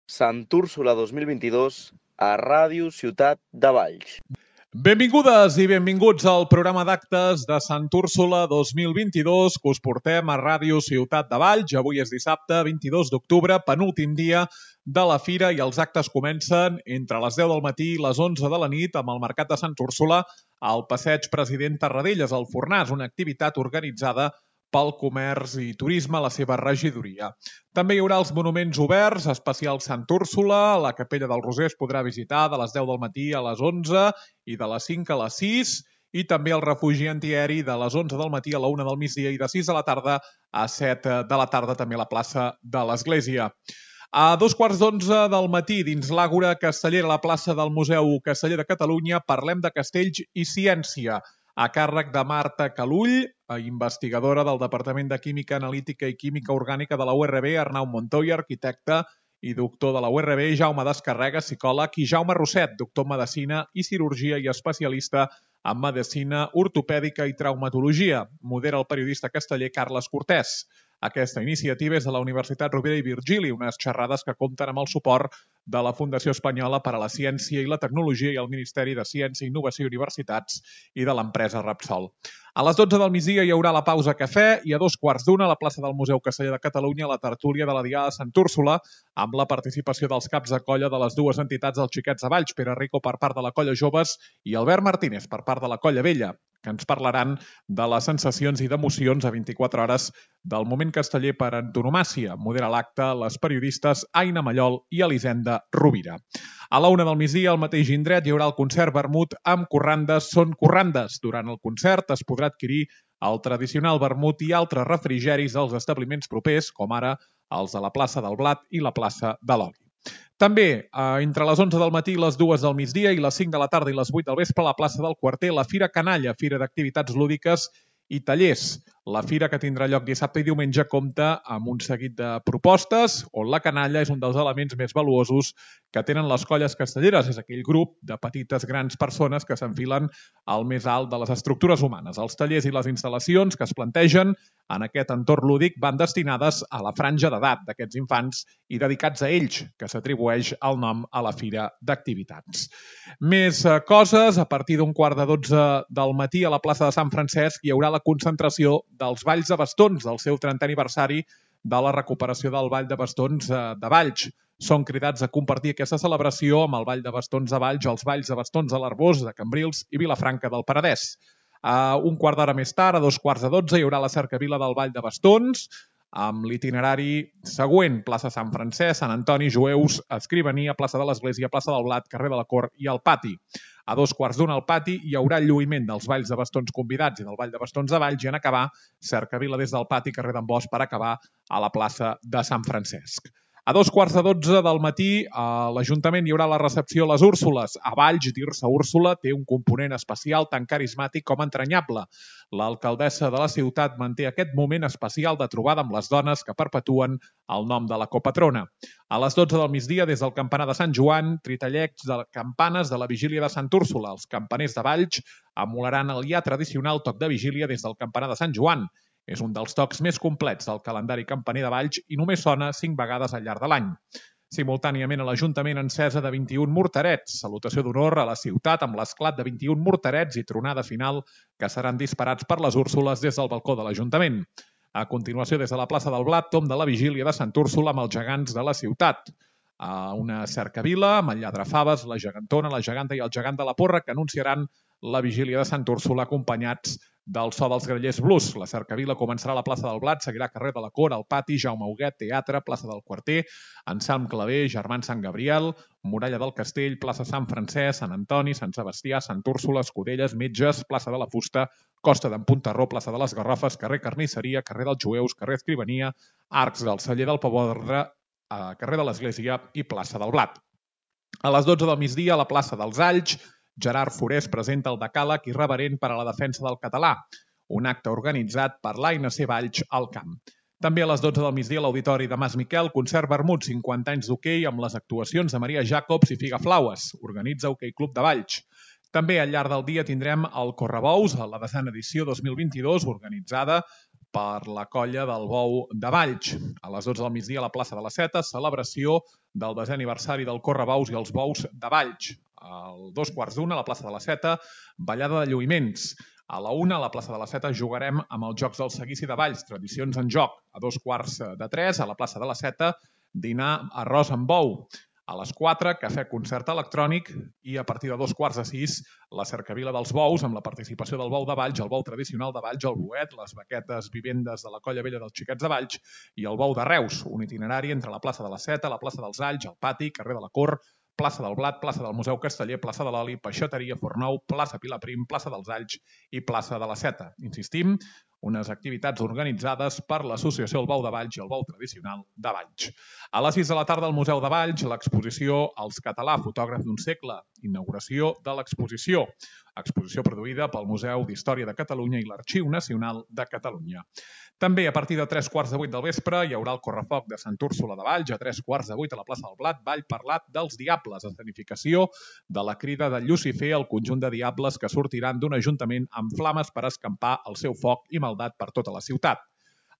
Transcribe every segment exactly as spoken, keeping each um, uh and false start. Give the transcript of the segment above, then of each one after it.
Sant Úrsula dos mil vint-i-dos a Ràdio Ciutat de Valls. Benvingudes i benvinguts al programa d'actes de Sant Úrsula dos mil vint-i-dos que us portem a Ràdio Ciutat de Valls. Avui és dissabte, vint-i-dos d'octubre, penúltim dia de la fira i els actes comencen entre les deu del matí i les onze de la nit amb el Mercat de Sant Úrsula al Passeig President Tarradellas, al Fornàs, una activitat organitzada pel Comerç i Turisme a la seva regidoria. També hi haurà els monuments oberts, especial Sant Úrsula, la Capella del Roser es podrà visitar de les deu del matí a les onze i de les cinc a les sis, i també el refugi antiaeri de les onze del matí a la una del migdia i de sis de la tarda a set de la tarda també a la plaça de l'Església. A dos quarts d'onze del matí, dins l'Àgora Castellera, a la plaça del Museu Casteller de Catalunya, parlem de castells i ciència, a càrrec de Marta Calull, investigadora del Departament de Química Analítica i Química Orgànica de la U R B, Arnau Montoya, arquitecte i doctor de la U R B, Jaume Descarrega, psicòleg, i Jaume Rosset, doctor en Medicina i Cirurgia i especialista en Medicina Ortopèdica i Traumatologia. Modera el periodista casteller Carles Cortés. Aquesta iniciativa és de la Universitat Rovira i Virgili, unes xerrades que compten amb el suport de la Fundació Espanyola per a la Ciència i la Tecnologia i el Ministeri de Ciència, Innovació i Universitats i de l'empresa Repsol. A les dotze del migdia hi haurà la pausa cafè i a dos quarts d'una a la plaça del Museu Casteller de Catalunya la tertúlia de la Diada de Sant Úrsula amb la participació dels caps de colla de les dues entitats dels Xiquets de Valls, Pere Rico per part de la Colla Joves i Albert Martínez per part de la Colla Vella, que ens parlaran de les sensacions i d'emocions a vint-i-quatre hores del moment casteller per antonomàsia. Modera l'acte les periodistes Aina Mallol i Elisenda Rovira. A la una del migdia, al mateix indret, hi haurà el concert vermut amb corrandes són corrandes. Durant el concert es podrà adquirir el tradicional vermut i altres refrigeris dels establiments propers, com ara els de la plaça del Blat i la plaça de l'Oli. També, entre les onze del matí i les dues del migdia i les cinc de la tarda i les vuit del vespre, a la plaça del Quarter, la Fira Canalla, fira d'activitats lúdiques i tallers. La fira, que tindrà lloc dissabte i diumenge, compta amb un seguit de propostes on la canalla és un dels elements més valuosos que tenen les colles castelleres. És aquell grup de petites grans persones que s'enfilen al més alt de les estructures humanes. Els tallers i les instal·lacions que es plantegen en aquest entorn lúdic van destinades a la franja d'edat d'aquests infants i dedicats a ells, que s'atribueix el nom a la Fira d'Activitats. Més coses, a partir d'un quart de dotze del matí a la plaça de Sant Francesc hi haurà la concentració dels Balls de Bastons, del seu trentè aniversari de la recuperació del Ball de Bastons de Valls. Són cridats a compartir aquesta celebració amb el Ball de Bastons de Valls, els Balls de Bastons de l'Arbós, de Cambrils i Vilafranca del Penedès. A un quart d'hora més tard, a dos quarts de dotze, hi haurà la cercavila del Ball de Bastons, amb l'itinerari següent: plaça Sant Francesc, Sant Antoni, Jueus, Escrivania, plaça de l'Església, plaça del Blat, carrer de la Cort i el Pati. A dos quarts d'una al Pati hi haurà el lluïment dels Balls de Bastons convidats i del Ball de Bastons de Valls i en acabar cercavila des del Pati, carrer d'en Bosch, per acabar a la plaça de Sant Francesc. A dos quarts de dotze del matí a l'Ajuntament hi haurà la recepció a les Úrsules. A Valls, dir-se Úrsula té un component especial tan carismàtic com entranyable. L'alcaldessa de la ciutat manté aquest moment especial de trobada amb les dones que perpetuen el nom de la copatrona. A les dotze del migdia, des del campanar de Sant Joan, tritallecs de campanes de la vigília de Sant Úrsula. Els campaners de Valls emularan el ja tradicional toc de vigília des del campanar de Sant Joan. És un dels tocs més complets del calendari campaner de Valls i només sona cinc vegades al llarg de l'any. Simultàniament a l'Ajuntament encesa de vint-i-un morterets, salutació d'honor a la ciutat amb l'esclat de vint-i-un morterets i tronada final que seran disparats per les Úrsules des del balcó de l'Ajuntament. A continuació, des de la plaça del Blat, tom de la vigília de Sant Úrsula amb els gegants de la ciutat. A una cercavila amb el Lladrafaves, la gegantona, la geganta i el gegant de la Porra que anunciaran la vigília de Sant Úrsula acompanyats del so dels grallers blues. La cercavila començarà a la plaça del Blat, seguirà carrer de la Cort, al Pati, Jaume Huguet, Teatre, plaça del Quarter, Anselm Clavé, Germans Sant Gabriel, Muralla del Castell, plaça Sant Francesc, Sant Antoni, Sant Sebastià, Sant Úrsula, Escudelles, Metges, plaça de la Fusta, Costa d'en Puntarró, plaça de les Garrofes, carrer Carnisseria, carrer dels Jueus, carrer Escrivania, Arcs del Celler del Pavordre, carrer de l'Església i plaça del Blat. A les dotze del migdia, a la plaça dels Alls, Gerard Forés presenta el decàleg irreverent per a la defensa del català, un acte organitzat per l'A N C Valls al Camp. També a les dotze del migdia a l'Auditori de Mas Miquel, concert vermut, cinquanta anys d'hoquei amb les actuacions de Maria Jacobs i Figaflaues. Organitza Hoquei Club de Valls. També al llarg del dia tindrem el Correbous, a la desena edició dos mil vint-i-dos, organitzada per la colla del Bou de Valls. A les dotze del migdia a la plaça de la Seta, celebració del desè aniversari del Correbous i els Bous de Valls. A dos quarts d'una a la plaça de la Seta, ballada de lluïments. A la una a la plaça de la Seta jugarem amb els Jocs del Seguici de Valls, tradicions en joc. A dos quarts de tres a la plaça de la Seta, dinar arròs amb bou. A les quatre, cafè concert electrònic i a partir de dos quarts de sis, la cercavila dels bous amb la participació del Bou de Valls, el bou tradicional de Valls, el boet, les baquetes vivendes de la Colla Vella dels Xiquets de Valls i el Bou de Reus, un itinerari entre la plaça de la Seta, la plaça dels Alls, el pati, carrer de la Cor, plaça del Blat, plaça del Museu Casteller, plaça de l'Oli, Peixateria, Fornou, plaça Pilaprim, plaça dels Alls i plaça de la Seta. Insistim, unes activitats organitzades per l'Associació El Bou de Valls i el Bou Tradicional de Valls. A les sis de la tarda al Museu de Valls, l'exposició Els Català, fotògraf d'un segle, inauguració de l'exposició. Exposició produïda pel Museu d'Història de Catalunya i l'Arxiu Nacional de Catalunya. També a partir de tres quarts de vuit del vespre hi haurà el correfoc de Sant Úrsula de Valls, a tres quarts de vuit a la plaça del Blat, Ball parlat dels Diables, escenificació de la crida de Llucifer, el conjunt de diables que sortiran d'un ajuntament amb flames per escampar el seu foc i maldat per tota la ciutat.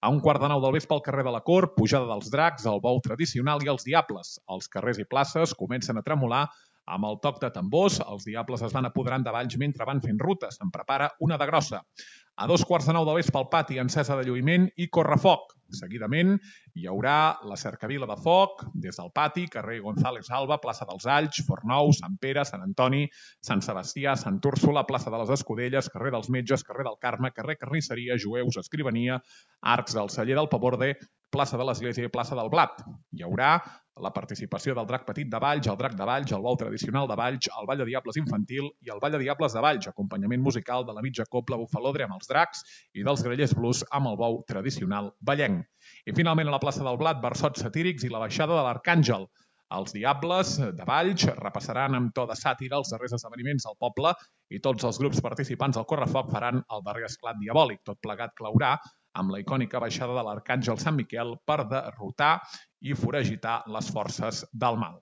A un quart de nou del vespre al carrer de la Cor, pujada dels dracs, el bou tradicional i els diables. Els carrers i places comencen a tremolar amb el toc de tambors. Els diables es van apoderant de Valls mentre van fent rutes. Se'n prepara una de grossa. A dos quarts de nou del vespre al pati, encesa de lluïment i correfoc. Seguidament hi haurà la cercavila de foc des del pati, carrer González Alba, plaça dels Alls, Fornou, Sant Pere, Sant Antoni, Sant Sebastià, Sant Úrsula, plaça de les Escudelles, carrer dels Metges, carrer del Carme, carrer Carnisseria, Jueus, Escrivania, Arcs del Celler del Paborde, plaça de l'Església i plaça del Blat. Hi haurà la participació del Drac Petit de Valls, el Drac de Valls, el Bou Tradicional de Valls, el Ball de Diables Infantil i el Ball de Diables de Valls, acompanyament musical de la mitja cobla bufalodre amb els dracs i dels grellers blues amb el bou tradicional vallenc. I finalment a la plaça del Blat, versots satírics i la baixada de l'Arcàngel. Els Diables de Valls repassaran amb to de sàtira els darrers esdeveniments del poble i tots els grups participants al correfoc faran el darrer esclat diabòlic. Tot plegat claurà amb la icònica baixada de l'Arcàngel Sant Miquel per derrotar i foragitar les forces del mal.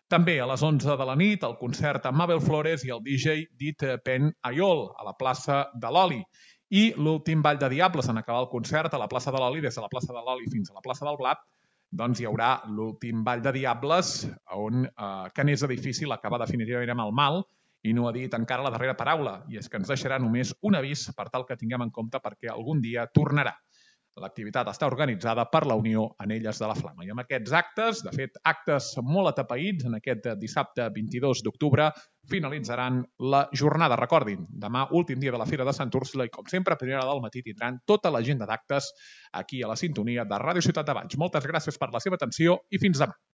També a les onze de la nit, el concert amb Mabel Flores i el D J Dit Pen Ayol a la plaça de l'Oli. I l'últim ball de Diables en acabar el concert a la plaça de l'Oli, des de la plaça de l'Oli fins a la plaça del Blat, doncs hi haurà l'últim ball de Diables on eh, que n'és difícil acabar definitivament amb el mal i no ha dit encara la darrera paraula, i és que ens deixarà només un avís per tal que tinguem en compte perquè algun dia tornarà. L'activitat està organitzada per la Unió Anelles de la Flama. I amb aquests actes, de fet, actes molt atapeïts, en aquest dissabte vint-i-dos d'octubre, finalitzaran la jornada. Recordin, demà, últim dia de la Fira de Sant Úrsula, i com sempre, a primera hora del matí tindran tota l'agenda d'actes aquí a la sintonia de Ràdio Ciutat de Valls. Moltes gràcies per la seva atenció i fins demà.